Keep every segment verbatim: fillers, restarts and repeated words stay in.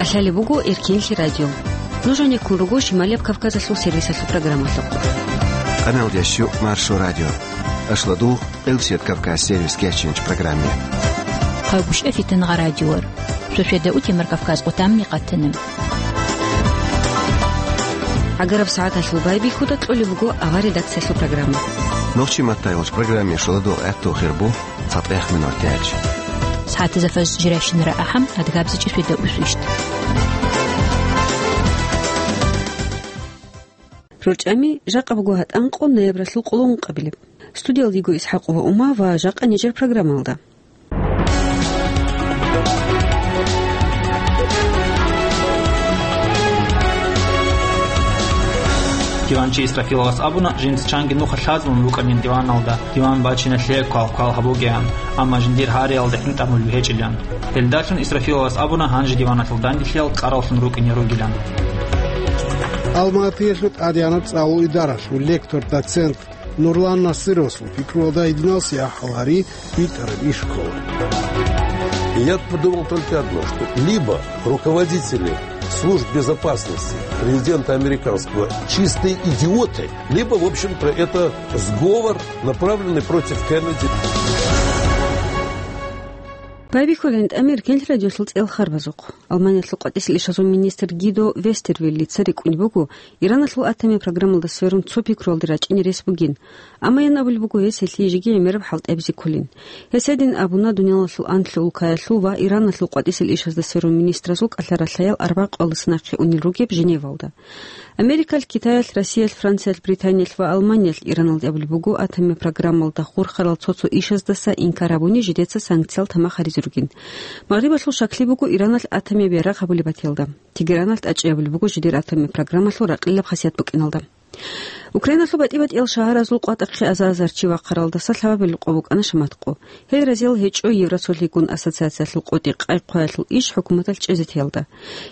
Лъалеб буго Эркенлъи радио. Нуж гьанеккун руго Шималияб Кавказалъул сервисалъул программалъухъ. Къаналдящу Маршо радио. Ашладугъ Къилсият Кавказ сервис кечинч программе. Къагушев Фитангъа радиор. Шошеда утемар Кавказ къутамни къатана. ГӀагараб сагӀаталъул байбихьуда кьолеб буго авар редакциялъул программа. Нохчи маттайгъулч программе шоладугъ гӀатту хирбу. ЦатӀехъ минуталъ. СагӀатазда фаз жирашинара ахӀам, адгабзичӀи шведа усвищт. РорчӀами жакъа буго гьатӀанкъо ноябралъул къоло ункъабилеб. Студиялдиго Исхакъова Ума ва жакъа нижер программалда. Диванчи Исрафиловас абуна, жинца чанги нуха лъазабун рукӀанин диваналда, диван бачиналъе квал-квал гьабугеян, амма жиндир гьариялда гӀинтӀамулев гьечӀилан. Гьелдалъун Исрафиловас абуна, гьанже диваналъул данделъиял кьараллъун рукӀине ругилан. Алматиялъул тӀадегӀанаб цӀалул идаралъул лектор, доцент Нурлан Насыровасул пикруялда гьединалси ахӀал гьари битӀараб иш ккола. Я подумал только одно, что либо руководители служб безопасности президента американского чистые идиоты, либо, в общем-то, это сговор, направленный против Кеннеди. Байбихьулин тӀамир Кенлъ радиолъул цӀел харбазухъ. Алманиялъул къватӀисел ишазул министр Гидо Вестервеллица рикӀкӀунеб буго, Ираналъул атомияб программалда сверун цо пикруялде рачӀине рес бугин. Амма ян абулеб буго, гьес гьелъие жеги гӀемераб хӀалтӀи абизе кколин. Гьес гьедин абуна дуниялалъул анлъго улкаялъул ва Ираналъул къватӀисел ишазда сверун министразул кӀалъа-ралъаял арбякъалдаса нахъе унел ругеб Женевалда. Америкалъ, Китаялъ, Россиялъ, Франциялъ, Британиялъ ва Алманиялъ Ираналде абулеб буго, атомияб программалда хурхарал цо-цо ишаздаса инкар гьабуни жидеца санкциял тамах гьаризе ругин. Магърибалъул щакли буго Ираналъ атомияб ярагъ гьабулеб батиялда. Тегераналъ тӀачӀи гьабулеб буго жидер атомияб программалъул ракъилаб хасият букӀиналда. Украиналъул батӀи-батӀиял шагьаразул къватӀахъе азар-азар чи вахъаралдаса лъабабилеб къо букӀана шаматкъо. Гьел разиял гьечӀо Евросолъигун ассоциациялъул къотӀи къай-хъваялъул иш хӀукуматалъ чӀезе теялда.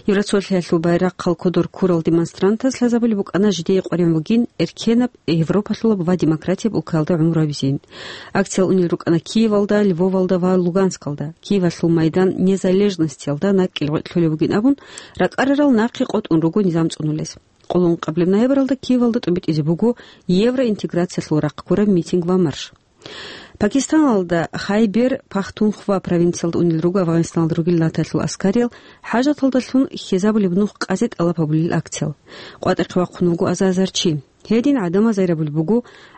Евросолъиялъул байрахъал кодор ккурал демонстрантаз лъазабулеб букӀана жидее къваригӀун бугин эркенаб, европалъулаб ва демократияб улкаялда гӀумру гьабизин. Акциял унел рукӀана Киевалда, Львовалда ва Луганскалда. Киевалъул майдан Незалежностиялда накӀкӀел гъветӀ лъолеб бугин абун, ракӀарарал нахъе къотӀун руго низам цӀунулез. Къоло ункъабилеб ноябралда Киевалда тӀубитӀизе буго евроинтеграциялъул рахъ гураб митинг ва марш. Пакистаналда Хайбер Пахтунхва провинциялда унел руго Афгъанистаналда ругел натаялъул аскариял хӀажаталдалъун хьезабулеб нух къазе тӀалаб гьабулел акциял. КъватӀахъе вахъун вуго азар-азар чи. Гьедин гӀадамаз гьарабулеб буго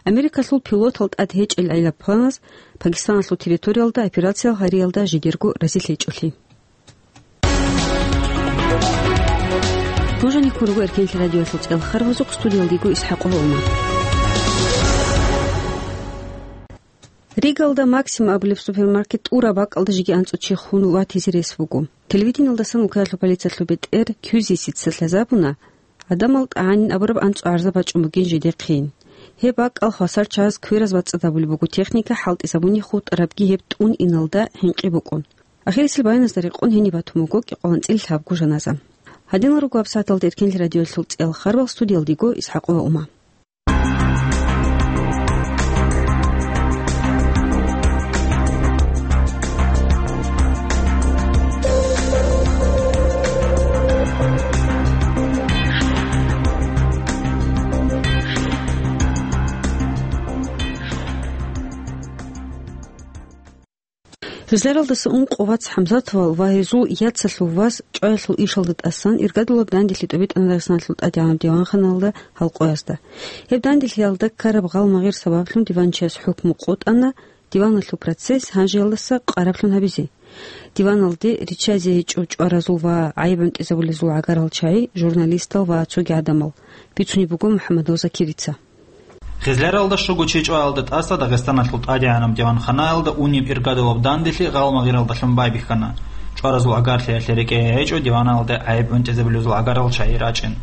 Америкалъул пилотал тӀад гьечӀел гӀелаб планаз Пакистаналъул территориялда операциял гьариялда жидерго разилъичӀолъи. Нуж гьанеккун руго Эркенлъи радиоялъул цӀел харбазухъ, студиялдиго Исхакъова Ума. Ригалда Максим абулеб супермаркет тӀураб бакӀалда жеги анцӀго чи хун ватизе рес буго. Телевидениялдасан улкаялъул полициялъул бетӀер Кьюзисица лъазабуна, гӀадамал тӀагӀанин абураб анцӀго гӀарза бачӀун бугин жидехъин. Гьеб бакӀал хвасар чагӀаз квераз бацӀцӀад гьабулеб буго, техника хӀалтӀизабуни хутӀарабги гьеб тӀун иналда хӀинкъи букӀун. Ахирисел баяназда рекъон гьениб батун буго кӀикъоялда цӀилабго жаназа. Гьадинал руго гьабсагӀаталда Эркенлъи радиоялъул цӀел харбал, студиялдиго Исхакъова Ума. Гъизларалдаса ункъо вац ХӀамзатовал ва гьезул яцалъул вас чӀваялъул ишалда тӀасан иргадулаб данделъи тӀубитӀана Дагъистаналъул тӀадегӀанаб диванханалда гьалкъоязда. Гьеб данделъиялда ккараб гъалмагъир сабаблъун диванчияс хӀукму къотӀана, диваналъул процесс гьанжеялдаса къараблъун гьабизе. Диваналде риччазе гьечӀо чӀваразул ва гӀайиб гӀунтӀизабулезул гӀагарал чагӀи, журналистал ва цоги гӀадамал, бицунеб буго МухӀаммадов Закирица. Гъизларалда щуго чи чӀваялда тӀаса Дагъистаналъул тӀадегӀанаб диванханаялда унеб иргадулаб данделъи гъалмагъиралдалъун байбихьана. ЧӀваразул гӀагарлъиялъе рекӀее гьечӀо диваналде гӀайиб гӀунтӀизабулезул гӀагарал чагӀи рачӀин.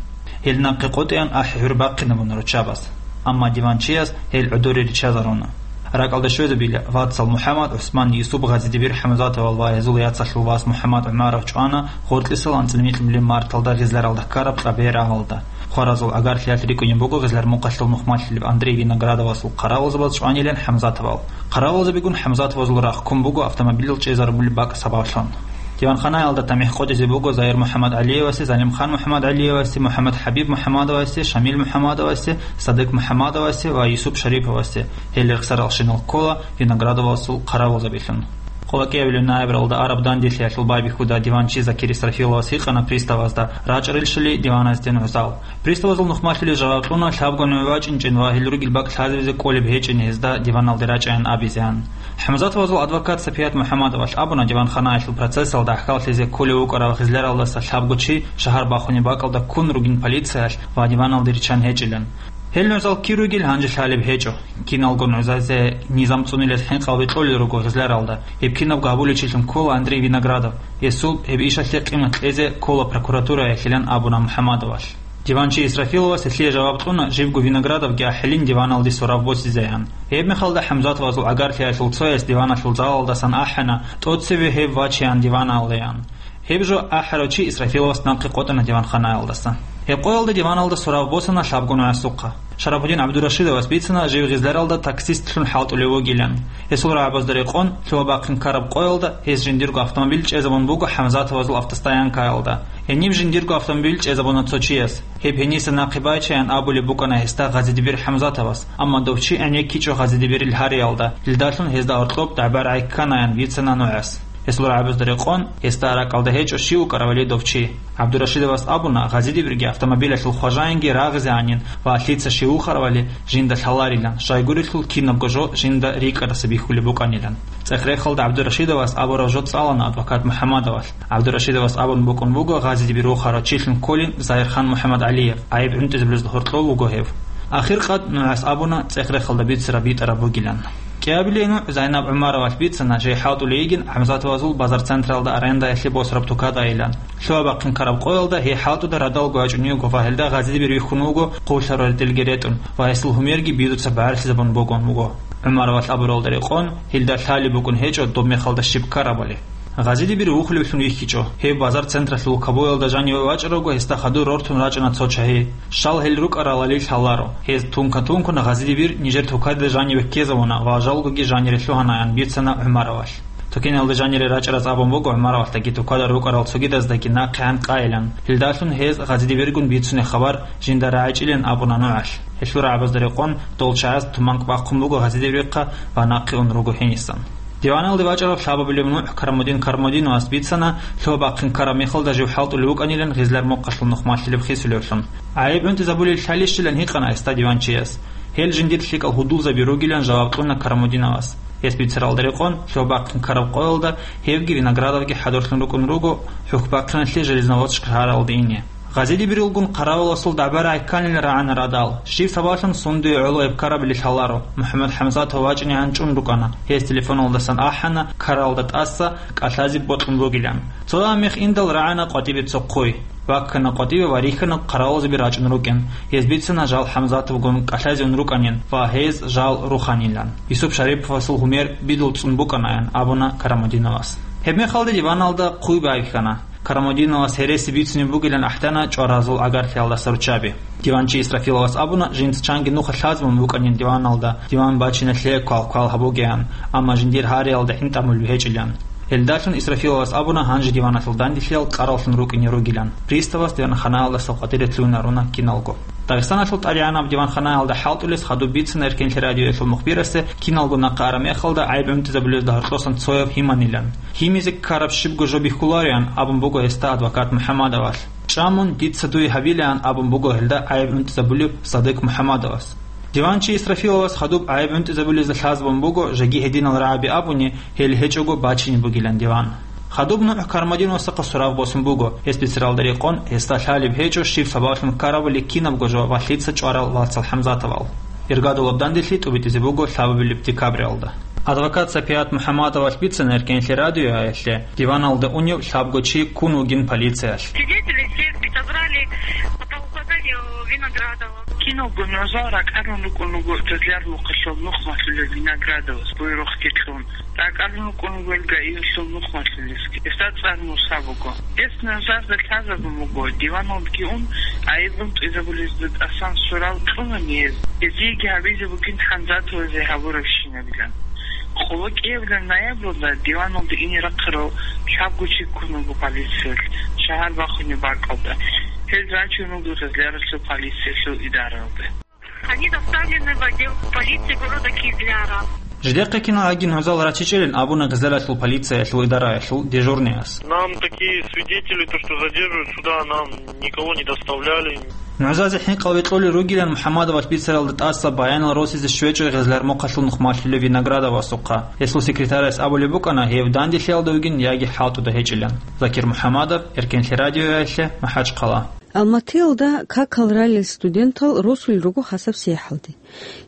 Гьел нахъе къотӀеян ахӀи-гӀур бахъинабуна руччабаз. Амма диванчияс гьел гӀодоре риччазаруна. РакӀалде щвезабила вацал МухӀаммад, ГӀусман, Юсуп, Гъазидибир ХӀамзатовал ва гьезул яцалъул вас МухӀаммад ГӀумаров чӀвана гъоркьисел анцӀила микьнуби марталда Гъизларалда ккараб Кьабе рагьалда. Хваразул гӀагарлъиялъ рикӀкӀунеб буго Гъизлар-Мухъалъул нухмалъилеб Андрей Виноградовасул хъаравулзабаз чӀванилан ХӀамзатовал. Хъаравулзабигун ХӀамзатовазул рахъ ккун буго автомобилал чӀезарулеб бакӀ сабаблъун. Диванханаялда тамихӀ къотӀизе буго Заир МухӀаммад ГӀалиевасе, Залимхан МухӀаммад ГӀалиевасе, МухӀаммад ХӀабиб МухӀаммадовасе, Шамил МухӀаммадовасе, Садыкъ МухӀаммадовасе ва Юсуп Шариповасе, гьел рехсаралщинал ккола Виноградовасул хъаравулзабилъун. Къоло кӀиабилеб ноябралда араб данделъиялъул байбихьуда диванчи Закир Исрафиловас гьикъана приставазда, рачӀарилщали диваназде нугӀзал. Приставазул нухмалъулел жаваб кьуна, лъабго нугӀ вачӀинчӀин ва гьел ругел бакӀ лъазабизе кӀолеб гьечӀин гьезда диваналде рачӀайин абизеян. ХӀамзатовазул адвокат Сапият МухӀаммадовалъ абуна, диванханаялъул процессалда гӀахьаллъизе кколев вукӀарав гъизляралдаса лъабго чи шагьар бахунеб бакӀалда ккун ругин полициялъ ва диваналде риччан гьечӀилан. Гьел нугӀзал кир ругел гьанже лъалеб гьечӀо. Киналго нугӀзазе низам цӀунилес хӀинкъалги кьолел руго гъизляралда. Гьеб кинабго гьабуличилъун ккола Андрей Виноградов. Гьесул гьеб ишалъе къимат кьезе ккола прокуратураялъилан абуна МухӀаммадовалъ. Диванчи Исрафиловас гьелъие жаваб кьуна, живго Виноградовги ахӀилин диваналде сорав босизеян. Гьеб мехалда ХӀамзатовазул гӀагарлъиялъул цояс диваналъул залалдасан ахӀана, тӀоцеве гьев вачеян диваналдеян. Гьеб жо ахӀарав чи Исрафиловас нахъе къотӀана диванханаялдаса. Гьеб къоялда диваналда сорав босана лъабго нугӀасухъа. Шарапудин ГӀабдурашидовас бицана жив гъизляралда таксистлъун хӀалтӀулев вугилан. Гьесул рагӀабазда рекъон, лъугьа-бахъин ккараб къоялда гьес жиндирго автомобиль чӀезабун буго ХӀамзатовазул автостоянкаялда. Гьениб жиндирго автомобиль чӀезабуна цо чияс. Гьеб гьениса нахъе байчаян абулеб букӀана гьесда Гъазидибир ХӀамзатовас, амма дов чи гӀенеккичӀо Гъазидибирил гьариялда, илдалъун гьезда гьоркьоб дагӀба-рагӀи кканаян бицана нугӀас. Гьесул рагӀабазда рекъон, гьесда ракӀалда гьечӀо щив вукӀаравали дов чи. ГӀабдурашидовас абуна, Гъазидибирги автомобилялъул хважаинги рагъизе анин ва лъица щив вухаравали жинда лъаларилан, щайгурелъул кинабго жо жинда рикӀкӀадаса бихьулеб букӀанилан. ЦӀех-рехалда ГӀабдурашидовас абураб жо цӀалана адвокат МухӀаммадовалъ. ГӀабдурашидовас абун букӀун буго Гъазидибир вухарав чилъун кколин Заирхан МухӀаммадгӀалиев, гӀайиб гӀунтӀизабулезда гьоркьов вуго гьев. Ахиркъад нугӀас абуна цӀех-рехалда бицараб битӀараб бугилан. КӀиабилей нугӀ Зайнаб ГӀумаровалъ бицана жей хӀалтӀулей йигин ГӀамзатовазул базар централда арендаялъе босараб тукадайилан. Лъугьа-бахъин ккараб къоялда гьей хӀалтӀуда радалго ячӀун йиго ва гьелда Гъазидибир вихьун вуго, хъулъарал ретӀелги ретӀун, ва гьесул гьумерги бидуца багӀарилъизабун бугун вуго. ГӀумаровалъ абуралда рекъон, гьелда лъалеб букӀун гьечӀо доб мехалда щиб ккарабали. Гъазидибир вухулевлъун вихьичӀо. Гьев базар централъул кабуялда жаниве вачӀаравго, гьесда хадур рортун рачӀана цо чагьи. Щал гьел рукӀаралали лъаларо. Гьез тунка-тункун Гъазидибир нижер тукаде жаниве ккезавуна ва жалгоги жанире лъугьанаян бицана ГӀумаровалъ. Тукеналда жанире рачӀараз абун буго ГӀумаровалъдаги тукада рукӀарал цогидаздаги нахъегӀан къайилан. Гьелдалъун гьез Гъазидибиргун бицунеб хабар жинда рагӀичӀилин абуна нугӀалъ. Гьелъул рагӀабазда рекъон, дол чагӀаз туманкӀ бахъун буго Гъазидибирихъа ва нахъе ун руго гьенисан. Диваналде вачӀарав лъабабилеб нугӀ Карамудин Карамудиновас бицана, лъугьа-бахъин ккараб мехалда жив хӀалтӀулев вукӀанилан гъизлар мукъалъул нухмалъилеб хисулевлъун. ГӀайиб гӀунтӀизабулел лъалищилан гьикъана гьесда диванчияс. Гьел жиндир лъикӀал гьудулзаби ругилан жаваб кьуна Карамудиновас. Гьес бицаралда рекъон, лъугьа-бахъин ккараб къоялда гьевги Виноградовги хӀадурлъун рукӀун руго, хӀухьбахъиналъе Железноводск шагьаралде ине. Гъазидибирилгун хъаравуласул дагӀба-рагӀи кканилан рагӀана радал. Щиб сабаблъун сундуе гӀоло гьеб ккарабали лъаларо, МухӀаммад ХӀамзатов вачӀинегӀан чӀун рукӀана. Гьес телефоналдасан ахӀана, ккаралда тӀаса кӀалъазе бокьун бугилан. Цо ламихъ индал рагӀана къватӀибе цо хъуй. Ваккана къватӀибе ва рихьана хъаравулзаби рачӀун рукӀин. Гьез бицана жал ХӀамзатовгун кӀалъазе ун рукӀанин ва гьез жал руханилан. Юсуп Шариповасул гьумер бидул цӀун букӀанаян абуна Карамудиновас. Гьебмехалда диваналда хъуй байбихьана. Карамудиновас гьереси бицунеб бугилан ахӀдана чӀваразул гӀагарлъиялдаса руччаби. Диванчи Исрафиловас абуна, жинца чанги нуха лъазабун букӀанин диваналда, диван бачиналъе квал-квал гьабугеян, амма жиндир гьариялда гӀинтӀамулеб гьечӀилан. Гьелдалъун Исрафиловас абуна гьанже диваналъул данделъиял кӀараллъун рукӀине ругилан. Приставас диванханаялдаса къватӀире лъугьунарун киналго. Дагъистаналъул ТӀадегӀанаб диванханаялда хӀалтӀулес хадуб бицана Эркенлъи радиоялъул мухбирасе, киналго нахъа араб мехалда гӀайиб гӀунтӀизабулезда гьоркьосан цояв гьиманилан. Гьимизе ккараб щибго жо бихьулароян абун буго гьесда адвокат МухӀаммадовалъ. ЧӀамун, дица дуе гьабилаан абун буго гьелда гӀайиб гӀунтӀизабулеб Садыкъ МухӀаммадовас. Диванчи Исрафиловас хадуб гӀайиб гӀунтӀизабулезда лъазабун буго, жеги гьединал рагӀаби абуни, гьел гьечӀого бачине бугилан диван. Хадуб нугӀ Карамудиновасухъа сорав босун буго, гьес бицаралда рекъон, гьесда лъалеб гьечӀо щиб сабаблъун ккарабали кинабго жо ва лъица чӀварал вацал ХӀамзатовал. Иргадулаб данделъи тӀубитӀизе буго лъабабилеб декабралда. Адвокат Сапият МухӀаммадовалъ бицана Эркенлъи радиоялъе диваналда унев лъабго чи ккун вугин полициялъ. Свидетели все собрали по указанию Виноградова. Киналго нугӀзал ракӀарун рукӀун руго Тезляр мухъалъул нухмалъулев Виноградовас буйрухъги кьун. РакӀарун рукӀун руго ГАИ-ялъул нухмалъулесги. Гьесда цӀар Муса буго. Гьес нугӀзазда лъазабун буго, диваналдги ун, гӀайиб гӀунтӀизабулезда тӀасан сорав кьунани гьез, гьезиеги гьабизе бугин ХӀамзатовазе гьабурабщинабилан. Къоло кӀиябилеб ноябрьалда диваналде ине рахъарал лъабго чи ккун вуго полициялъ шагьар бахунеб бакӀалда. Гьел рачун руго гъезларалъул полициялъул идаралде. Они доставлены в отдел полиции города Кизляра. Жидехъе киналгӀаги нугӀзал рачичӀилин абуна гъезларалъул полициялъул идараялъул дежурныяс. Нам такие свидетели, то, что задерживают сюда, нам никого не доставляли. НугӀзазе хӀинкъал векьулел ругилан МухӀаммадовас бицаралда тӀаса баянал росизе щвечӀо гъезлар мухъалъул нухмалъулев Виноградовасухъа. Гьесул секретарас абулеб букӀана гьев данделъиялда вугин яги хӀалтӀуда гьечӀилан. Закир МухӀаммадов, Эркенлъи радиоялъе, МахӀачхъала. Алматиялда какал ралел студентал росулел руго хасаб сияхӀалде.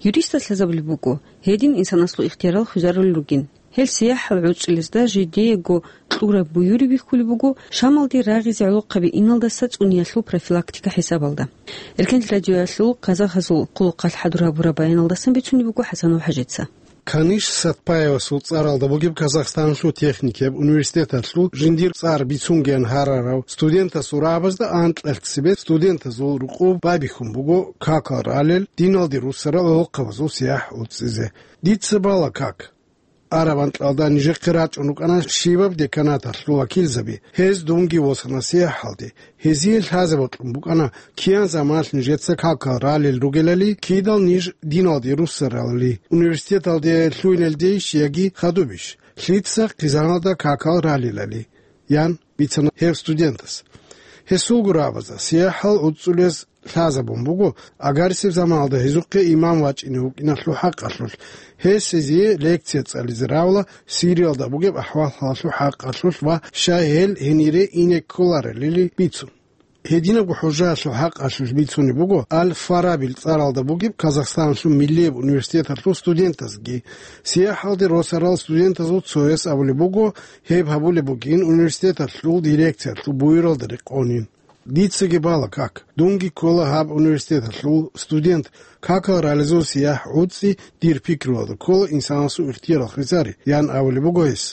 Юристас лъазабулеб буго, гьедин инсанаслу ихтиярал хвезарулел ругин. Гьел сияхӀал гӀуцӀилезда жидеего кьураб буюри бихьулеб буго, Шамалде рагъизе гӀолохъаби иналдаса цӀуниялъул профилактика хӀисабалда. Эркенлъи радиоялъул казахазул хъулухъалъ хӀадур гьабураб баяналдасан бицунеб буго ХӀасанов ХӀажица. Каниш Сатпаевасул цӀаралда бугеб Казахстаналъул техникияб университеталъул жиндир цӀар бицунгеян гьарарав студентасул рагӀабазда анкьалъ цебе студентазул рукъуб байбихьун буго какал ралел, диналде руссарал гӀолохъабазул сияхӀ гӀуцӀизе. Дица бала как. Араб анкьалда нижехъе рачӀун рукӀана щибаб деканаталъул вакилзаби, гьез дунги восана сияхӀалде. Гьезие лъазе бокьун букӀана, киян заманалъ нижеца какал ралел ругелали, кидал ниж диналде руссаралали, университеталде лъугьиналдейищ яги хадубищ, лъица хъизаналда какал ралелали, ян бицана гьев студентас. Гьесулго рагӀабазда сияхӀал гӀуцӀулез лъазабун буго, агарисеб заманалда гьезухъе имам вачӀине вукӀиналъул хӀакъалъулъ, гьес гьезие лекция цӀализе равла Сириялда бугеб ахӀвал-хӀалалъул хӀакъалъулъ ва щай гьел гьенире ине кколарелили бицун. Гьединабго хӀужаялъул хӀакъалъулъ бицунеб буго Аль-Фарабил цӀаралда бугеб Казахстаналъул миллияб университеталъул студентазги. СияхӀалде росарал студентазул цояс абулеб буго, гьеб гьабулеб бугин университеталъул дирекциялъул буюралда рекъонин. Дицаги бала как, дунги ккола гьаб университеталъул студент, какал ралезул сияхӀ гӀуцӀи дир пикруялда ккола инсанасул ихтиярал хвезари, ян абулеб буго гьес.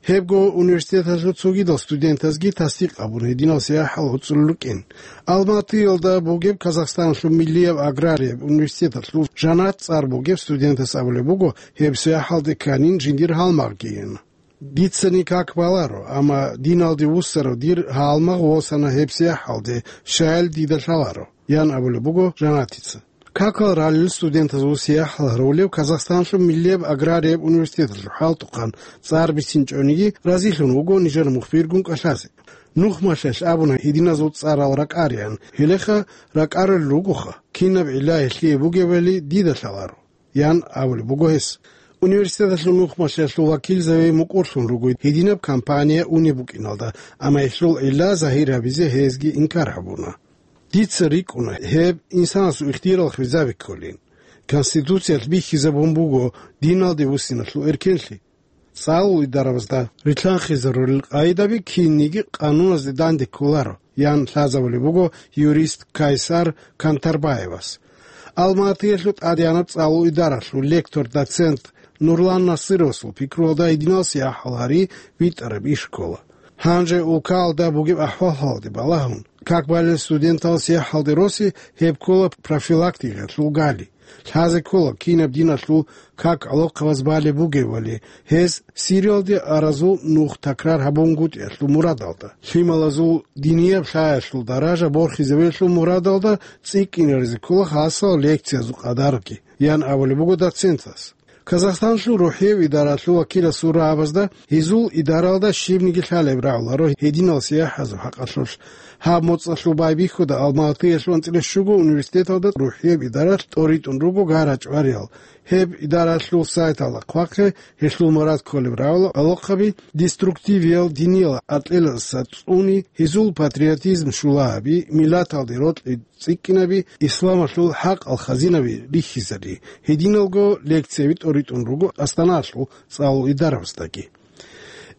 Гьебго университеталъул цогидал студентазги тасдикъ абун гьединал сияхӀал гӀуцӀулел рукӀин. Алматиялда бугеб Казахстаналъул миллияб аграрияб университеталъул Жанат цӀар бугеб студентас абулеб буго, гьеб сияхӀалде кканин жиндир гьалмагъгийин. Дицани как баларо, амма диналде вуссарав дир гьалмагъ восана гьеб сияхӀалде, щаял дида лъаларо, ян абулеб буго Жанатица. Какал ралел студентазул сияхӀал гьарулев Казахстаналъул миллияб аграрияб университеталъул хӀалтӀухъан цӀар бицинчӀониги разилъун вуго нижер мухбиргун кӀалъазе. Нухмалъалъ абуна гьединазул цӀарал ракӀариан, гьелеха ракӀарулел ругоха, кинаб гӀилла гьелъие бугебали дида лъаларо, ян абулеб буго гьес. Университеталъул нухмалъиялъул вакилзаби мукӀурлъун руго гьединаб кампания унеб букӀиналда, амма гьелъул гӀилла загьир гьабизе гьезги инкар гьабуна. Дица рикӀкӀуна, гьеб инсанасул ихтиярал хвезаби кколин. Конституциялъ бихьизабун буго диналде вуссиналъул эркенлъи. ЦӀалул идарабазда рилълъанхъизарулел къагӀидаби кинниги къануназде данде кколаро, ян лъазабулеб буго юрист Кайсар Кантарбаевас. Алматиялъул тӀадегӀанаб цӀалул идаралъул лектор-доцент Нурлан Насыровасул пикруялда гьединал сияхӀал гьари витӀараб иш ккола. Гьанже улкаялда бугеб ахӀвал-хӀалалде балагьун, как балел студентал сияхӀалде роси гьеб ккола профилактикаялъул гали. Лъазе ккола, кинаб диналъул как гӀолохъабаз балеб бугевали, гьез Сириялде аразул нух такрар гьабунгутӀиялъул мурадалда, лъималазул динияб лъаялъул даража борхизабиялъул мурадалда цӀикӀкӀинаризе ккола хасал лекциязул къадарги, ян абулеб буго доцентас. Казахстанлъул рухӀияб идаралъул вакиласул рагӀабазда гьезул идаралда щибниги лъалеб рагӀуларо гьединал сияхӀазул хӀакъалъулъ. Гьаб моцӀалъул байбихьуда Алматиялъул анцӀила щуго университеталда рухӀияб идаралъ тӀоритӀун руго гарачӀвариял. Гьеб идаралъул сайталда хъвахъе, гьелъул мурад кколеб рагӀула гӀолохъаби деструктивиял диниял гӀатӀилаздаса цӀуни, гьезул патриотизм щула гьаби, миллаталде рокьи цӀикӀкӀинаби, исламалъул хӀакъал хазинаби рихьизари. Гьединалго лекцияби тӀоритӀун руго Астаналъул цӀалул идарабаздаги.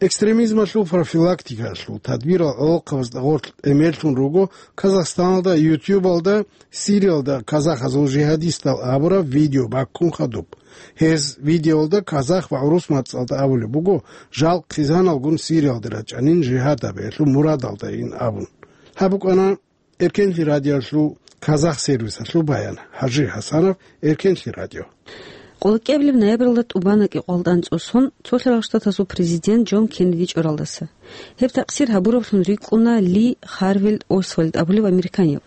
Экстремизмалъул профилактикаялъул тадбирал гӀолохъабазда гъорлъ гӀемерлъун руго Казахстаналда, ютубалда, Сириялда казахазул жигьадистал абураб видео баккун хадуб. Гьез видеолда казах ва гӀурус мацӀалда абулеб буго, жал хъизаналгун Сириялде рачӀанин жигьад гьабиялъул мурадалдайин абун. Гьаб букӀана Эркенлъи радиоялъул казах сервисалъул баян. ХӀажи ХӀасанов, Эркенлъи радио. Къолоккебилеб ноябралда тӀубана КӀикъоялда анцӀу сон Цолъарал Штатазул президент Джон Кеннеди чӀоралдаса. Гьеб такъсир гьабураблъун рикӀкӀуна Ли Харвилл Освальд абулев американияб.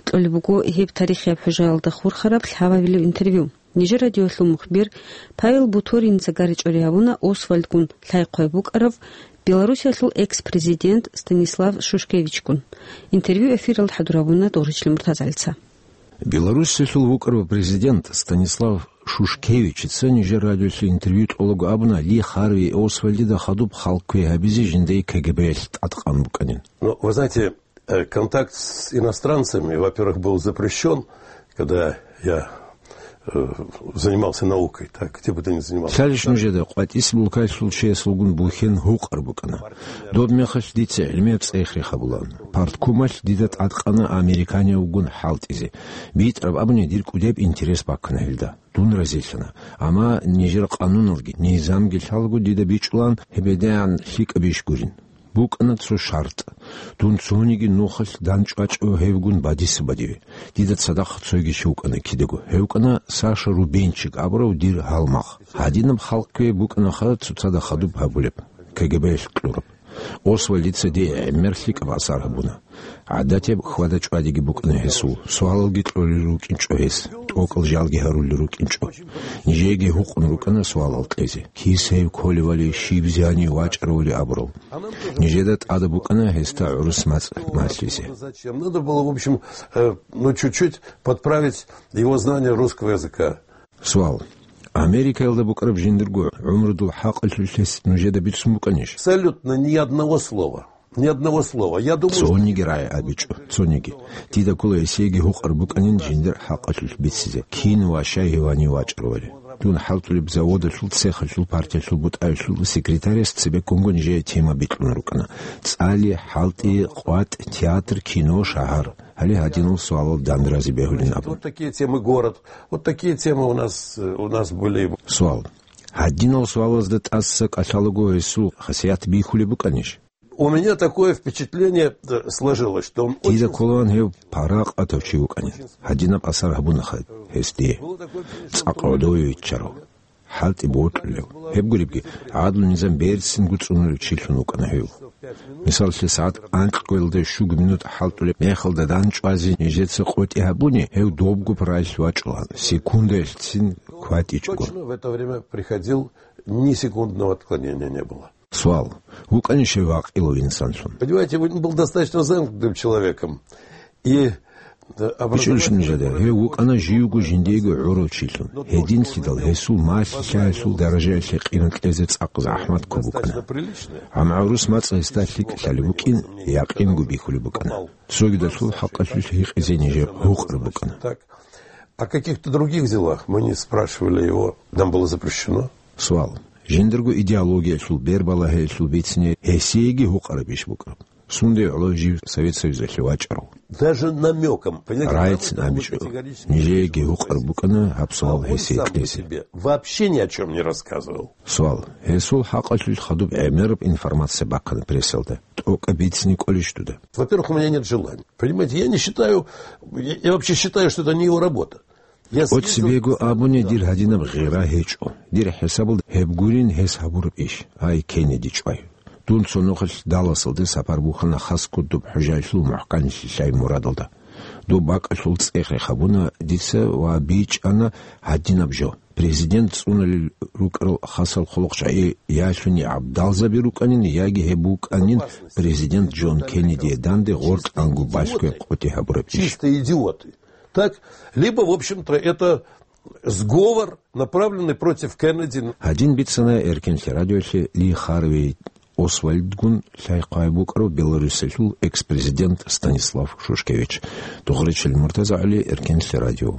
Кьолеб буго гьеб тарихияб хӀужаялда хурхараб лъабабилеб интервью. Нижер радиоялъул мухбир Павел Буториница гаричӀоре гьабуна Освальдгун лъай-хъвай букӀарав Белоруссиялъул экс-президент Станислав Шушкевичгун. Интервью эфиралда хӀадур гьабуна Доржичлъи Муртазалица. Белоруссиялъул вукӀарав президент Станислав Шушкевичица нижер радиолъе интервью кьолаго абуна Ли Харви Освальдида хадуб халкъ квей гьабизе жиндай КГБ-ялъ тӀадкъан букӀанин. Ну, вы знаете, э, контакт с иностранцами, во-первых, был запрещён, когда я, э, занимался наукой, так, где бы ты ни занимался. Лъалищ нужеда къватӀис булкайлъул чиясулгун бухьен гьукъар букӀана. Доб мехалъ дица гӀилмияб цӀех рехабулаан. Парткомалъ дида тӀадкъана американиявгун хӀалтӀизе. БитӀараб абуни дир кӀудияб интерес баккана гьелда. Дун разилъана. Амма нижер къануналги, низамги лъалаго дида бичӀчӀулаан гьебедегӀан лъикӀаб иш гурин. БукӀана цо шартӀ. Дун цониги нухалъ дандчӀвачӀо гьевгун бадиса-бадиве. Дида цадахъ цойги чи вукӀана кидаго. Гьев вукӀана Саша Рубенчик абурав дир гьалмагъ. Гьадинаб халкъ квей букӀанаха цоцазда хадуб гьабулеб, КГБ-ялъ кьураб. Освальдица дие гӀемер лъикӀаб асар гьабуна. ГӀадатияб хьвада-чӀвадиги букӀана гьесул, суалалги кьолел рукӀинчӀо гьес, тӀокӀал жалги гьарулел рукӀинчӀо. Нижееги гьукъун рукӀана суалал кьезе: кис гьев кколевали, щиб зянив вачӀаравали абурал. Нижеда тӀада букӀана гьесда гӀурус мацӀ малъизе. Зачем? Надо было, в общем, э, ну, чуть-чуть подправить его знание русского языка. Суал. Америкаялда букӀараб жиндирго гӀумрудул хӀакъалъулъ гьес нужеда бицун букӀанищ? Абсолютно ни одного слова. Ни одного слова. Я думаю, что Цониги рагӀи абичӀо, цониги. Дида ккола гьесиеги гьукъар букӀанин жиндир хӀакъалъулъ бицизе, кин ва щай гьев гьанив вачӀаравали. Дун хӀалтӀулеб заводалъул, цехалъул, партиялъул, бутӀаялъул секретарас цебеккунго нижее тема бикьун рукӀана: цӀали, хӀалтӀи, къватӀ, театр, кино, шагьар. Гьале гьадинал суалал дандразе бегьулин абун. Вот такие темы, город. Вот такие темы у нас, э, у нас были. Суал. Гьадинал суалазда тӀаса кӀалъалаго гьесул хасият бихьулеб букӀанищ? У меня такое впечатление, э, сложилось, что он Дида очень кколаан гьев паракъатав чи вукӀанин. Гьадинаб асар гьабунаха гьес дие. ЦӀакъ гӀодове виччарав. ХӀалтӀи бокьулев. Гьеб гуребги, гӀадлу-низам берцинго цӀунулев чилъун вукӀана гьев. Мисаллъи, сагӀат анкьго-ялда щуго минут хӀалтӀулеб мехалда дандчӀвазе нижеца къотӀи гьабуни, гьев добго параялъ вачӀулаан, секундаялъцин кватӀичӀого. Точно в это время приходил, ни секундного отклонения не было. Суал. ВукӀанищ гьев гӀакъилав инсанлъун? Понимаете, он был достаточно замкнутым человеком. И, э, БичӀчӀулищ нужеда, гьев вукӀана живго жиндиего гӀурав чилъун. Гьединлъидал гьесул малъи-лъаялъул даражаялъе къинкьезе цӀакъ захӀмат ккун букӀана. Амма гӀурус мацӀ гьесда лъикӀ лъалеб букӀин якъинго бихьулеб букӀана. Цогидалъул хӀакъалъулъ гьикъизе нижер гьукъар букӀана. Так. О каких-то других делах мы не спрашивали его, нам было запрещено. Суал. Жиндирго идеологиялъул, бербалагьиялъул бицине гьесиеги гьукъараб иш букӀа? Сунде гӀоло жив Совет Союзалъе вачӀарав? Даже намёком, понимаете, райцин абичӀо. Нижееги гьукъар букӀана гьаб суал гьесие кьезе. Вообще ни о чём не рассказывал. Суал. Гьесул хӀакъалъулъ хадуб гӀемераб информация бахъана прессалда. ТӀокӀаб бицине кӀолищ дуда? Во-первых, у меня нет желания. Понимаете, я не считаю, я, я вообще считаю, что это не его работа. Я съездил Оцебего абуни дир гьадинаб гъира гьечӀо. Дир хӀисабалда гьеб гурин гьес гьабураб иш. Ай, Кеннеди чӀвай. Дун цо нухалъ Далласалде сапар бухьана хас ккун доб хӀужаялъул мухӀканлъи лъай мурадалда. Доб бакӀалъул цӀех рехабуна дица ва бичӀчӀана гьадинаб жо. Президент цӀуналел рукӀарал хасал хъулухъчагӀи я лъуни гӀабдалзаби рукӀанин, яги гьеб букӀанин президент Джон Кеннедие данде гъоркь ангу балъгояб къотӀи гьабураб иш. Чистые идиоты. Так? Либо, в общем-то, это сговор, направленный против Кеннеди. Гьадин бицана Эркенлъи радиолъе Ли Харви Освальдгун лъай-хъвай букӀарав Беларусиялъул экс-президент Станислав Шушкевич. Духъричил Муртаза ГӀали, Эркенлъи радио.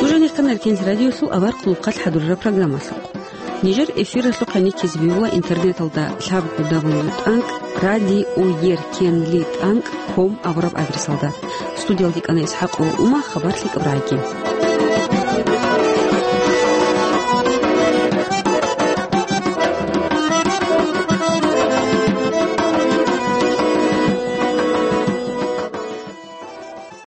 Нуж гьанихъан Эркенлъи радиолъул авар хъулухъалъ хӀадурараб программалъухъ. Нижер эфиралъухъ гьаниккизе бегьула интернеталда лъабго дабл ю тӀанкӀ радиоеркенли тӀанкӀ ком абураб адресалда. Студиялде кӀана ИсхӀакъова Ума, хабар лъикӀаб рагӀиги.